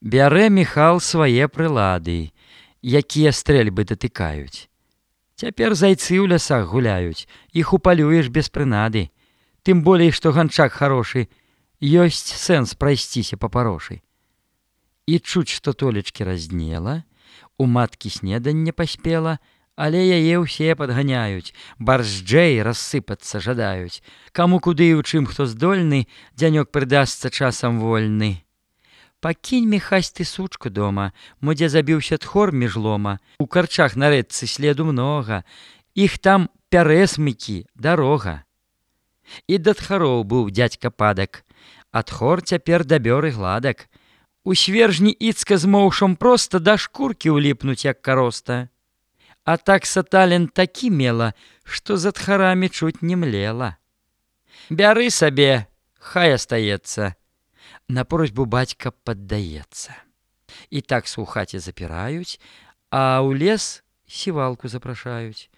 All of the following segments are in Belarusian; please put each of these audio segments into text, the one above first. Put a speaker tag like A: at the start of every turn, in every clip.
A: Бярэ Міхал свае прылады, якія стрэльбы датыкаюць. Цяпер зайцы ў лясах гуляюць, іх упалюеш без прынады. Тым болей, што ганчак харошы, ёсць сэнс прайсціся па парошы. І чуць, што толечкі разнела, у маткі снеданне паспела, але яе ўсе падганяюць, барзджэй рассыпацца жадаюць. Каму куды і ў чым хто здольны, дзянёк прыдасца часам вольны. Пакінь, Міхась, ты сучку дома, мо дзе забіўся тхор між лома. У карчах на рэчцы следу многа, іх там пярэсмыкі, дарога. І да тхароў быў дзядзька падак, а тхор цяпер дабёр і гладак. У свержні іцка з моўшам проста да шкуркі ўліпнуць, як кароста. А так сатален такі мела, што за тхарамі чуць не млела. Бяры сабе, хай астаецца. На просьбу бацька паддаецца. І такса ў хаце запіраюць, а ў лес сівалку запрашаюць.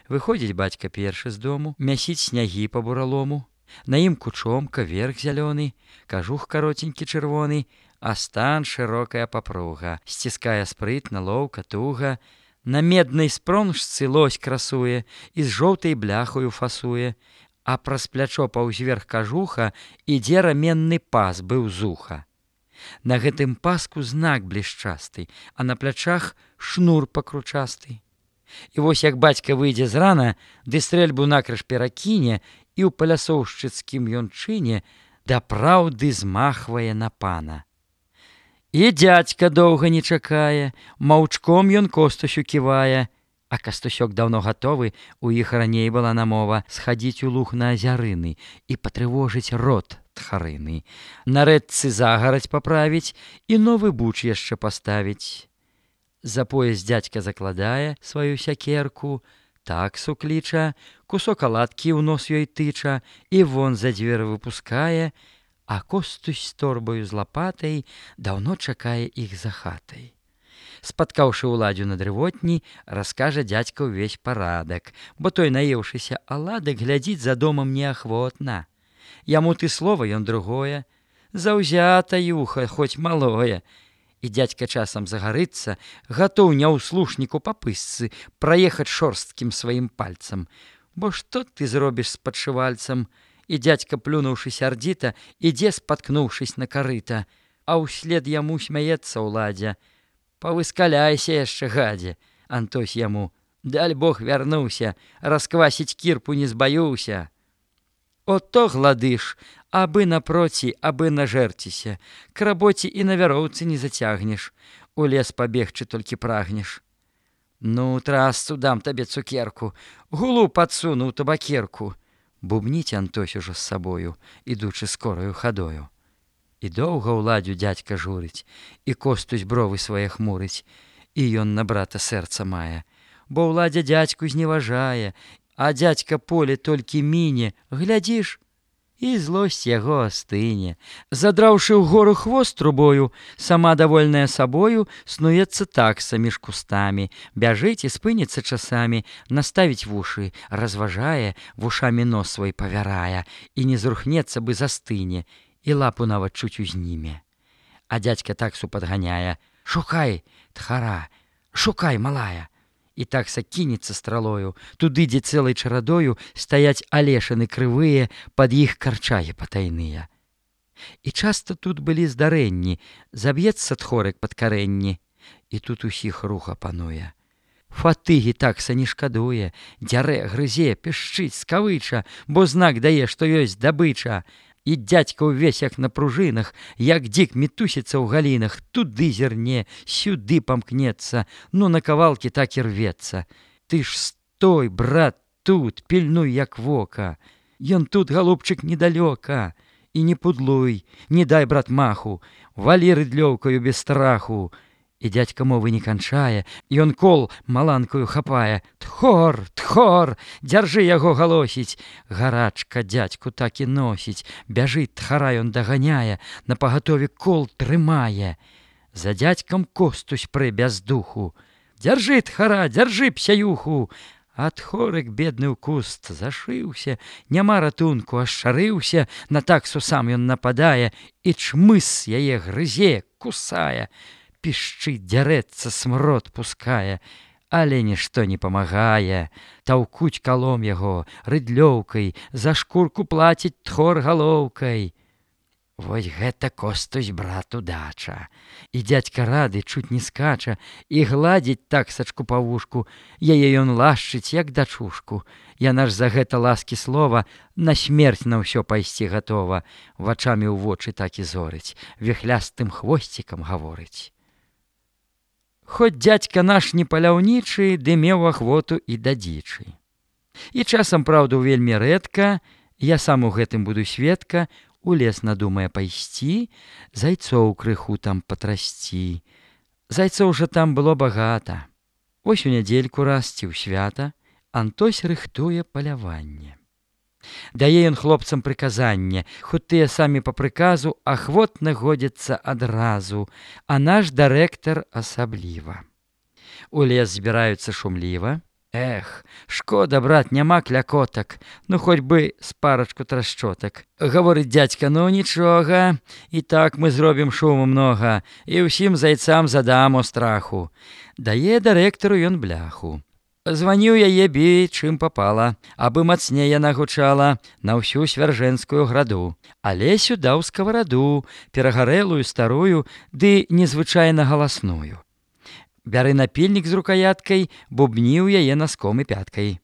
A: Выходзіць бацька першы з дому, мясіць снягі па буралому. На ім кучомка, верх зялёны, кажух каротенькі чырвоны, а стан шырокая папруга. Сціскае спрытна, лоўка, туга. На меднай спронжцы лось красуе і з жоўтай бляхою фасуе. А праз плячо паўзверх кажуха ідзе раменны пас быў зуха. На гэтым паску знак блішчасты, а на плячах шнур пакручасты. І вось як бацька выйдзе з рана, ды стрэльбу накрыж перакіне, і ў палясоўшчыцкім ён чыне дапраўды змахвае на пана. І дзядзька доўга не чакае, маўчком ён Костусю ківае. А Кастусёк даўно гатовы, у іх раней была намова схадзіць у луг на азярыны і патрывожыць род тхарыны. На рэчцы загарадзь паправіць і новы буч яшчэ паставіць. За пояс дзядзька закладае сваю сякерку, таксу кліча, кусок аладкі ў нос ёй тыча і вон за дзверы выпускае, а Костусь з торбаю з лапатай даўно чакае іх за хатай. Спаткаўшы ўладзю на дрывотні, раскажа дзядзька ўвесь парадак, бо той, наеўшыся аладак, глядзіць за домам неахвотна. Яму ты слова, ён другое, заўзята юха, хоць малое. І дзядзька часам загарыцца, гатоў няўслушніку па пысцы праехаць шорсткім сваім пальцам. Бо што ты зробіш з падшывальцам? І дзядзька, плюнуўшы сярдзіта, ідзе, спаткнуўшись на карыта, а ўслед яму смяецца ўладзя. Павыскаляйся яшчэ, гадзе, Антось яму, даль Бог вярнуўся, расквасіць кірпу не збаюўся. Ото гладыш, абы напроці, абы нажэрціся, к рабоце і на вяроўцы не зацягнеш, у лес пабегчы толькі прагнеш. Ну, трасцу дам табе цукерку, гулу падсуну ў табакерку. Бубніць Антось ужо з сабою, ідучы скораю хадою. І доўга ўладзю дзядзька журыць, і Костусь бровы свае хмурыць, і ён на брата сэрца мае, бо ўладзя дзядзьку зневажае, а дзядзька поле толькі міне, глядзіш, і злосць яго астыне. Задраўшы ўгору хвост трубою, сама давольная сабою, снуецца такса між кустамі, бяжыць і спыніцца часамі, наставіць вушы, разважае, вушамі нос свой павярае, і не зрухнецца бы застыне, і лапу нават чуць узніме. А дзядзька таксу падганяе, шукай, тхара, шукай, малая. І такса кінецца стралою, туды, дзе цэлай чарадою стаяць алешаны крывыя, пад іх карчагі патайныя. І часта тут былі здарэнні, заб'ецца тхорык пад карэнні, і тут усіх руха пануе. Фатыгі такса не шкадуе, дзярэ, грызе, пішчыць, скавыча, бо знак дае, што ёсць дабыча. І дзядзька ўвесь як на пружынах, як дзік мітусіцца ў галінах, туды зірне, сюды памкнецца, ну на кавалкі так і рвецца. Ты ж стой, брат, тут, пільнуй як вока. Ён тут, галубчык, недалёка. І не пудлуй, не дай, брат, маху, валі рыдлёўкаю без страху. І дзядзька мовы не канчае, ён кол маланкаю хапае. Тхор, тхор, дзяржы яго галосіць. Гарачка дзядзьку так і носіць. Бяжыць тхара, ён даганяе, на пагатове кол трымае. За дзядзькам Костусь прэ без духу. Дзяржы, тхара, дзяржы, псяюху. Ад хорык бедны ў куст зашыўся, няма ратунку, ашчарыўся, на таксу сам ён нападае, і чмыс яе грызе, кусае, пішчыць, дзярэцца, смрод пускае, але нішто не памагае. Таўкуць калом яго рыдлёўкай, за шкурку плаціць тхор галоўкай. Вось гэта Костусь брату дача. І дзядзька рады чуць не скача, і гладзіць таксачку па вушку, яе ён лашчыць, як дачушку. Яна ж за гэта ласкі слова на смерць на ўсё пайсці гатова, вачамі ў вочы так і зорыць, віхлястым хвосцікам гаворыць. Хоць дзядзька наш не паляўнічы, ды меў ахвоту і да дзічы. І часам, праўду, вельмі рэдка, я сам у гэтым буду сведка, у лес надумае пайсці, зайцоў крыху там патрасці. Зайцоў жа там было багата. Вось у нядзельку раз ці ў свята Антось рыхтуе паляванне. Дае ён хлопцам прыказанне, хоць тыя самі па прыказу ахвотна годзяцца адразу, а наш дырэктар асабліва. У лес збіраюцца шумліва. Эх, шкода, брат, няма клякотак, ну хоць бы з парачку трашчотак. Гаворыць дзядзька, ну нічога, і так мы зробім шуму многа, і ўсім зайцам задам у страху. Дае дырэктару ён бляху. Званіў яе бі, чым папала, абы мацней яна гучала на ўсю свяржэнскую граду. Алесю даў скавараду, перагарэлую старую, ды незвычайна галасную. Бяры напільнік з рукаяткай, бубніў яе наском і пяткай.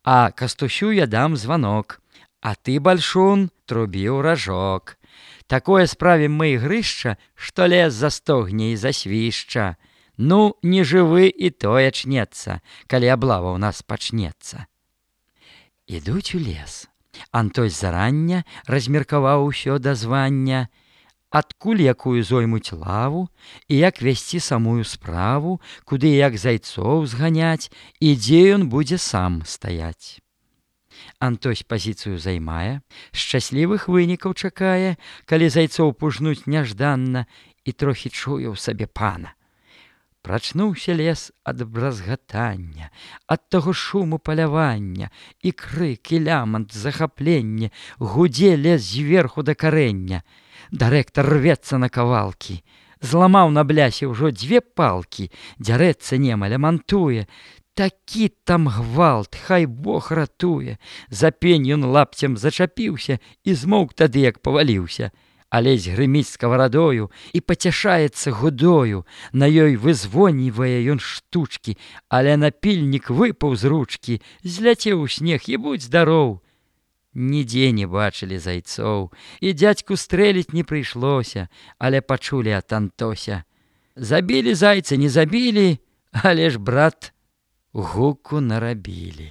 A: А Кастусю я дам званок, а ты, бальшун, трубі ў ражок. Такое справім мы ігрышча, што лес застогне і засвішча. Ну, не жывы і тое чнецца, калі аблава ў нас пачнецца. Ідуць у лес. Антось зарання размеркаваў усё да звання, адкуль якую зоймуць лаву і як весці самую справу, куды як зайцоў зганяць і дзе ён будзе сам стаяць. Антось пазіцыю займае, шчаслівых вынікаў чакае, калі зайцоў пужнуць няжданна, і трохі чуе ў сабе пана. Прачнуўся лес ад бразгатання, ад таго шуму палявання, і крык, і лямант, захапленне, гудзе лес зверху да карэння. Дырэктар рвецца на кавалкі, зламаў на блясе ўжо 2 палкі, дзярэцца немаля мантуе. Такі там гвалт, хай Бог ратуе. За пень ён лапцем зачапіўся і змоўк тады, як паваліўся. Алесь грыміць скаварадою і пацяшаецца гудою, на ёй вызвонівае ён штучкі, але напільнік выпаў з ручкі, зляцеў у снег і будь здароў. Нідзе не бачылі зайцоў, і дзядзьку стрэліць не прыйшлося, але пачулі ад Антося. Забілі зайца, не забілі, але ж, брат, гуку нарабілі.